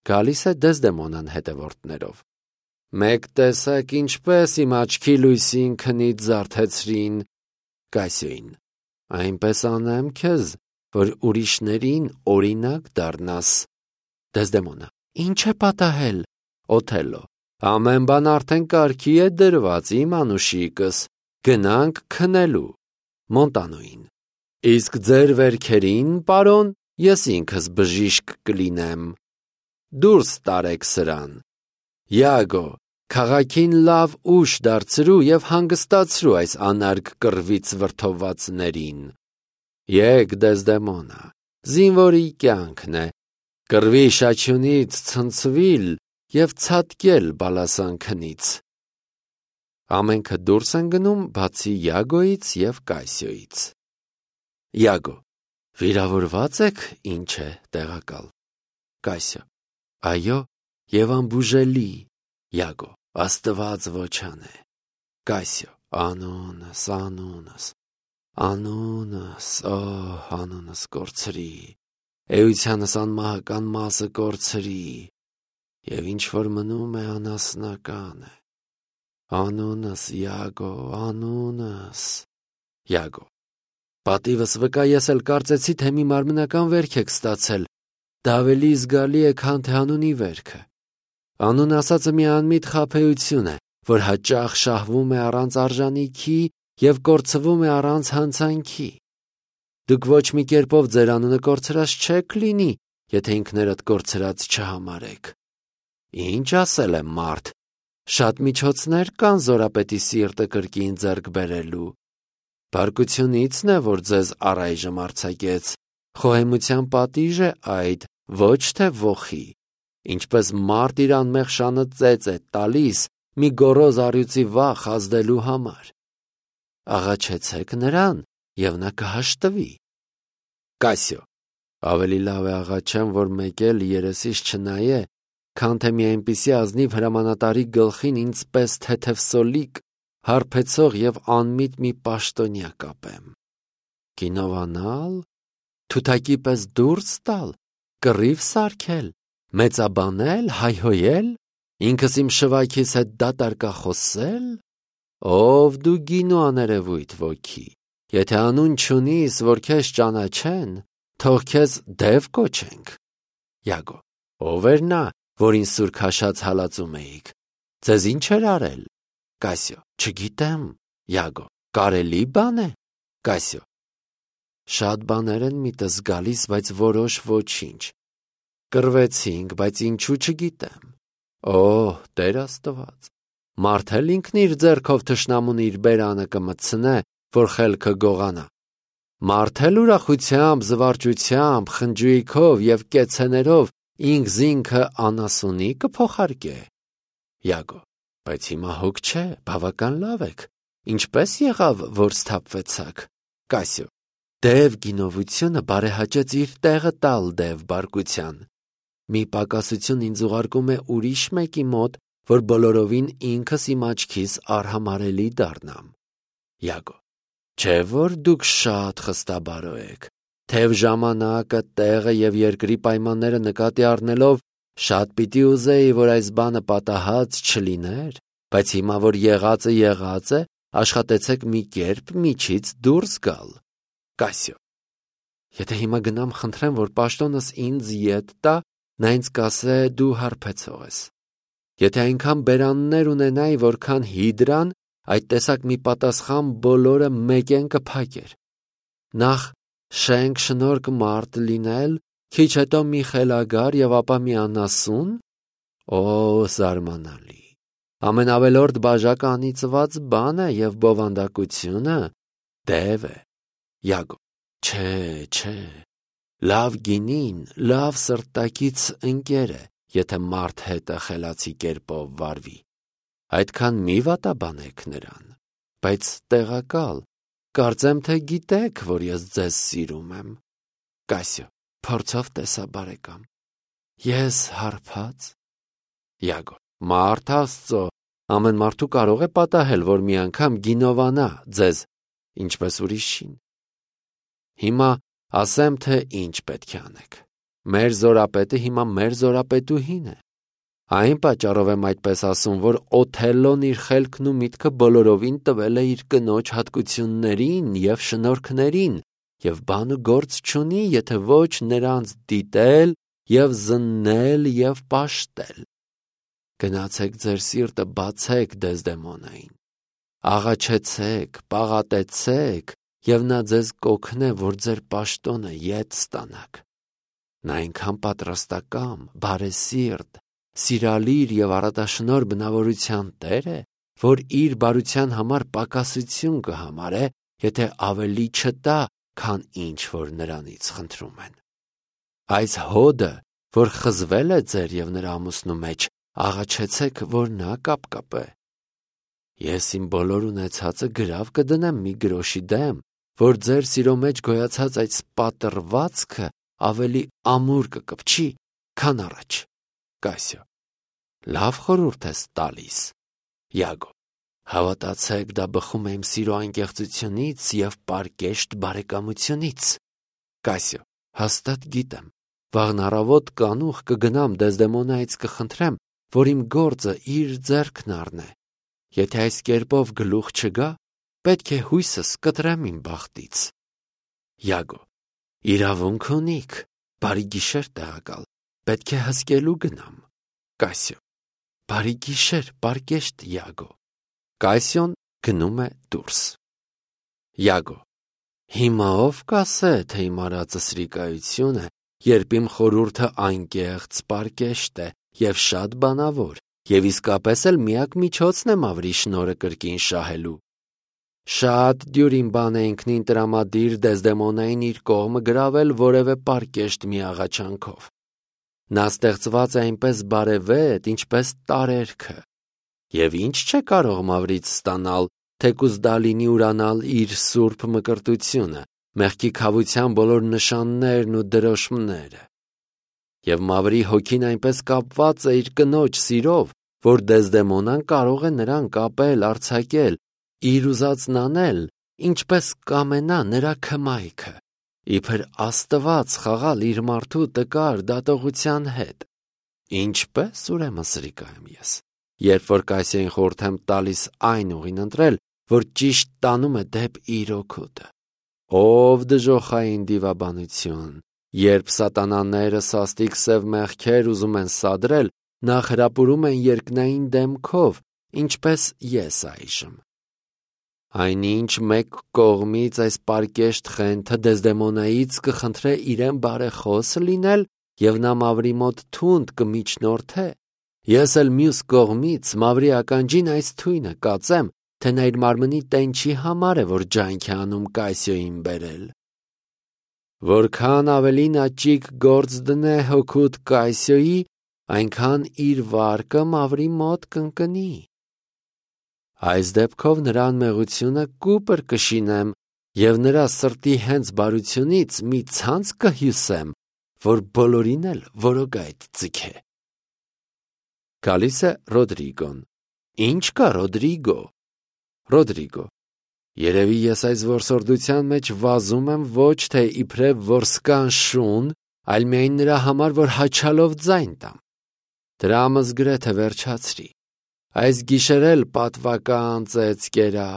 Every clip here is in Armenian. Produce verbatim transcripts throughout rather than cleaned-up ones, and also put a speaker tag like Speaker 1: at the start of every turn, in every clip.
Speaker 1: Գալիս է Դեզդեմոնան հետևորդներով։ Մեկ տեսեք ինչպես իմ աչքի լույսին քնից զարթեցրին Կասիոին։ Այնպես անեմ քեզ, որ ուրիշներին օրինակ դառնաս։ Դեզդեմոնա. Ինչ է պատահել։ Օթելլո. ամեն բան արդեն կարգի է դրված, իմ անուշիկս, գնանք քնելու։ Մոնտանոին. իսկ ձեր վերքերին, պարոն, ես ինքս բժիշկ կլինեմ։ Դուրս տարեք սրան։ Յագո, քաղաքին լավ ուժ դարձրու և հանգստացրու այս անարգ կռվից վրդովվածներին։ Եկ Դեզդեմոնա, զինվորի կյանքն է, կռվի շաչյունից ցնցվիլ և ցատկել բալասանքնից։ Ամենքը դուրս են գնում, բացի Յագոյից և Կասիոյից։ Յագո. վիրավորված եք, ինչ է տեղակալ։ Կասիո. այո, և անբուժելի։ Յագո. Աստված ոչան է։ Կասիո. անունս, անունս, անունս, օ, անունս կորցրի, էությանս անմահական մասը կորցրի, և ինչ որ մնում է անասնական է։ Անունս, Յագո, անունս։ Յագո. պատիվս վկա, ես էլ կարծեցի, թե մի մարմնական վերք եք ստացել, դա ավելի զգալի է, քան թե անունի վերքը։ Անուն ասածը մի անմիտ խաբեություն է, որ հաճախ շահվում է առանց արժանիքի և կորցվում է առանց հանցանքի։ Դուք ոչ մի կերպով ձեր անունը կորցրած չեք լինի, եթե ինքներդ կորցրած չհամարեք։ Ինչ ասել է մարդ, շատ միջոցներ կան Զորապետի սիրտը կրկին ձեռք բերելու։ Բարկությունիցն է, որ ձեզ առայժմ արձակեց, խոհեմության պատիժ է այդ, ոչ թե ոխի, ինչպես մարդ իր անմեղ շանը ծեծ է տալիս մի գոռոզ առյուծի վախ ազդելու համար։ Աղաչեցեք նրան, և նա կհաշտվի։ Կասիո. ավելի լավ է աղաչեմ, որ մեկ էլ երեսիս չնայե, քան թե մի այնպիսի ազնիվ հրամանատարի գլխին ինձ պես թեթև սոլիկ, հարբեցող և անմիտ մի պաշտոնյա կապեմ։ Կինովանալ, թութակի պես դուրս տալ, կռիվ սարքել, մեծաբանել, հայհոյել, ինքս իմ շվայքիս հետ դատարկախոսել։ Ով դու գինու աներևույթ ոգի, եթե անուն չունիս, որ քեզ ճանաչեն, թող քեզ դև կոչենք։ Յագո. ով էր նա, որին սուր քաշած հալածում էիք, ձեզ ինչ էր արել։ Կասիո. չգիտեմ։ Յագո. կարելի բան է։ Կասիո. շատ բաներ են միտս գալիս, բայց որոշ ոչինչ։ Կռվեցինք, բայց ինչու չգիտեմ։ Օ, Տեր Աստված, մարդ էլ ինքն իր ձեռքով թշնամուն իր բերանը կմտցնե, որ խելքը գողանա։ Մարդ էլ ուրախությամբ, զվարճությամբ, խնջույքով և կեցեներով ինքզինքը անասունի կփոխարկե։ Յագո. բայց հիմա հոգ չէ, բավական լավ եք, ինչպես եղավ, որ սթափվեցաք։ Կասիո. դև գինովությունը բարեհաճեց իր տեղը տալ դև բարկության։ Մի պակասություն ինձ ուղարկում է ուրիշ մեկի մոտ, որ բոլորովին ինքս իմ աչքիս արհամարհելի դառնամ։ Յագո. չէ՞ որ դուք շատ խստաբարո եք, թեև ժամանակը, տեղը և երկրի պայմանները նկատի առնելով, շատ պիտի ուզեի, որ այս բանը պատահած չլիներ, բայց հիմա, որ եղածը եղած է, աշխատեցեք մի կերպ միջից դուրս գալ։ Կասիո. եթե հիմա գնամ խնդրեմ, որ պաշտոնս ինձ ետ տա, նա ինձ կասե դու հարբեցող ես։ Եթե այնքան բերաններ ունենայի, որքան հիդրան, այդ տեսակ մի պատասխան բոլորը մեկեն կփակեր։ Նախ շենք շնորհք մարդ լինել, քիչ հետո մի խելագար և ապա մի անասուն։ Օ, զարմանալի։ Ամենավելորդ բաժակը անիծված բան է և բովանդակությունը դև է։ Յագո. չէ, չէ, լավ գինին, լավ սրտակից ընկեր է, եթե մարդ հետը խելացի կերպով վարվի։ Այդքան մի վատաբանեք նրան, բայց տեղակալ, կարծեմ, թե գիտեք, որ ես ձեզ սիրում եմ։ Կասիո. փորձով տեսա բարեկամ։ Ես հարբած։ Յագո. մարդ Աստծո, ամեն մարդու կարող է պատահել, որ մի անգամ գինովանա ձեզ, ինչպես ուրիշին։ Հիմա ասեմ, թե ինչ պետք է անեք։ Մեր զորապետը հիմա մեր զորապետուհին է։ Այն պատճառով եմ այդպես ասում, որ Օթելլոն իր խելքն ու միտքը բոլորովին տվել է իր կնոջ հատկություններին և շնորհքներին, և բանը գործ չունի, եթե ոչ նրանց դիտել և զննել և պաշտել։ Գնացեք ձեր սիրտը բացեք Դեզդեմոնային, աղաչեցեք, պաղատեցեք, և նա ձեզ կօգնե, որ ձեր պաշտոնը ետ ստանաք։ Նա այնքան պատրաստակամ, բարեսիրտ, սիրալիր և առատաշնորհ բնավորության տեր է, որ իր բարության համար պակասություն կհամարե, եթե ավելի չտա, քան ինչ որ նրանից խնդրում են։ Այս հոդը, որ խզվել է ձեր և նրա ամուսնու մեջ, աղաչեցեք, որ նա կապկապե։ Ես իմ բոլոր ունեցածը գրավ կդնեմ մի գրոշի դեմ, որ ձեր սիրո մեջ գոյացած այդ սպատռվածքը ավելի ամուր կկպչի, քան առաջ։ Կասիո. լավ խորհուրդ ես տալիս։ Յագո. հավատացեք, դա բխում է իմ սիրո անկեղծությունից և պարկեշտ բարեկամությունից։ Կասիո. հաստատ գիտեմ, վաղն առավոտ կանուխ կգնամ Դեզդեմոնայից կխնդրեմ, որ իմ գործը իր ձեռքն առնե։ Եթե այս կերպով գլուխ չգա, պետք է հույսս կտրեմ իմ բախտից։ Յագո. իրավունք ունիք, բարի գիշեր տեղակալ, պետք է հսկելու գնամ։ Կասիո. բարի գիշեր, պարկեշտ Յագո։ Կասիոն գնում է դուրս։ Յագո. հիմա ով կասե, թե իմ արածը սրիկայություն է, երբ իմ խորհուրդը անկեղծ պարկեշտ է և շատ բանավոր, և իսկապես էլ միակ միջոցն է մավրի շնորհը կրկին շահելու։ Շատ դյուրին բան է ինքնին տրամադիր Դեզդեմոնային իր կողմը գրավել որևէ պարկեշտ մի աղաչանքով։ Նա ստեղծված է այնպես բարևետ, ինչպես տարերքը, և ինչ չէ կարող մավրից ստանալ, թեկուզ դա լինի ուրանալ իր սուրբ մկրտությունը, մեղքի քավության բոլոր նշաններն ու դրոշմները։ Եվ մավրի հոգին այնպես կապված է իր կնոջ սիրով, որ Դեզդեմոնան կարող է նրան կապել, արձակել, իր ուզածն անել, ինչպես կամենա նրա քմայքը, իբր Աստված խաղալ իր մարդու տկար դատողության հետ։ Ինչպես ուրեմն սրիկա եմ ես, երբ որ Կասիային խորհուրդ եմ տալիս այն ուղին ընտրել, որ ճիշտ տանում է դեպ իր օգուտը։ Ով դժոխային դիվաբանություն, երբ սատանաները սաստիկ սև մեղքեր ուզում են սադրել, նախ հրապուրում են երկնային դեմքով, ինչպես ես այժմ։ Այնինչ մեկ կողմից այս պարկեշտ խենթը Դեզդեմոնայից կխնդրե իրեն բարեխոս լինել, և նա մավրի մոտ թունդ կմիջնորդե, ես էլ մյուս կողմից մավրի ականջին այս թույնը կածեմ, թե նա իր մարմնի տենչի համար է, որ ջանք է անում Կասիոյին բերել։ Որքան ավելի նա ճիգ գործ դնե հոգուտ Կասիոյի, այնքան իր վարկը մավրի մոտ կընկնի։ Այս դեպքով նրա անմեղությունը կուպր կշինեմ և նրա սրտի հենց բարությունից մի ցանց կհյուսեմ, որ բոլորին էլ որոգայթ ձգե։ Գալիս է Ռոդրիգոն. Ինչ կա Ռոդրիգո։ Ռոդրիգո. երևի ես այս որսորդության մեջ վազում եմ ոչ թե իբրև որսկան շուն, այլ միայն նրա համար, որ հաչալով ձայն տամ։ Դրամս գրեթե վերջացրի։ Այս գիշեր էլ պատվական ծեծ կերա,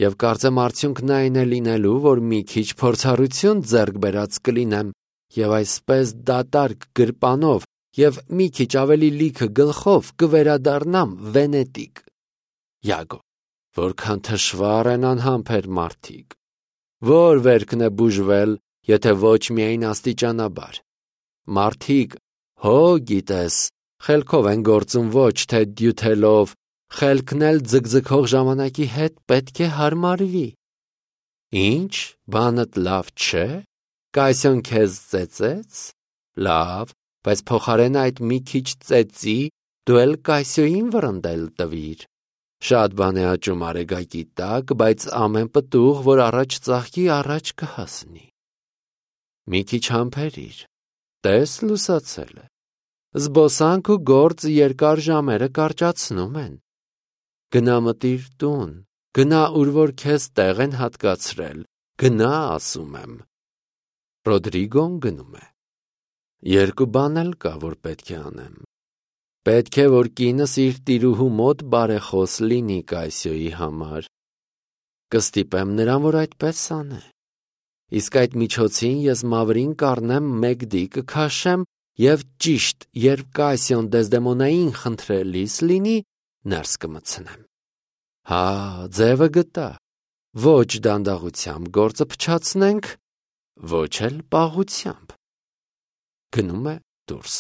Speaker 1: և կարծեմ արդյունքն այն է լինելու, որ մի քիչ փորձառություն ձեռք բերած կլինեմ, և այսպես դատարկ գրպանով և մի քիչ ավելի լիքը գլխով կվերադառնամ Վենետիկ։ Յագո. որքան թշվառ են անհամբեր մարդիկ։ Որ վերքն է բուժվել, եթե ոչ միայն աստիճանաբար։ Մարդիկ, հո գիտես, խելքով են գործում ոչ թե դյութելով, խելքն էլ ձգձգող ժամանակի հետ պետք է հարմարվի։ Ինչ, բանդ լավ չէ, Կասիոն քեզ ծեծեց, լավ, բայց փոխարեն այդ մի քիչ ծեծի դու էլ Կասիոյին վռնդել տվիր։ Շատ բան է աճում արեգակի տակ, բայց ամեն պտուղ, որ առաջ ծաղկի, առաջ կհասնի։ Մի քիչ համբերիր, տես լուսացել է։ Զբոսանք ու գործ երկար ժամերը կարճացնում են։ Գնա մտիր տուն, գնա ուր որ քեզ տեղ են հատկացրել, գնա ասում եմ։ Ռոդրիգոն գնում է։ Երկու բան էլ կա, որ պետք է անեմ։ Պետք է, որ կինս իր տիրուհու մոտ բարեխոս լինի Կայսիոյի համար։ Կստիպեմ նրան, որ այդպես անե։ Իսկ այդ միջոցին ես մավրին կառնեմ մեկդի կքաշեմ և ճիշտ, երբ Կայսիոն Դեսդեմոնային խնդրելիս լինի, ներս կմտցնեմ։ Հա, ձևը գտա։ Ոչ դանդաղությամբ գործը փչացնենք, ոչ էլ պաղությամբ։ Գնում է դուրս։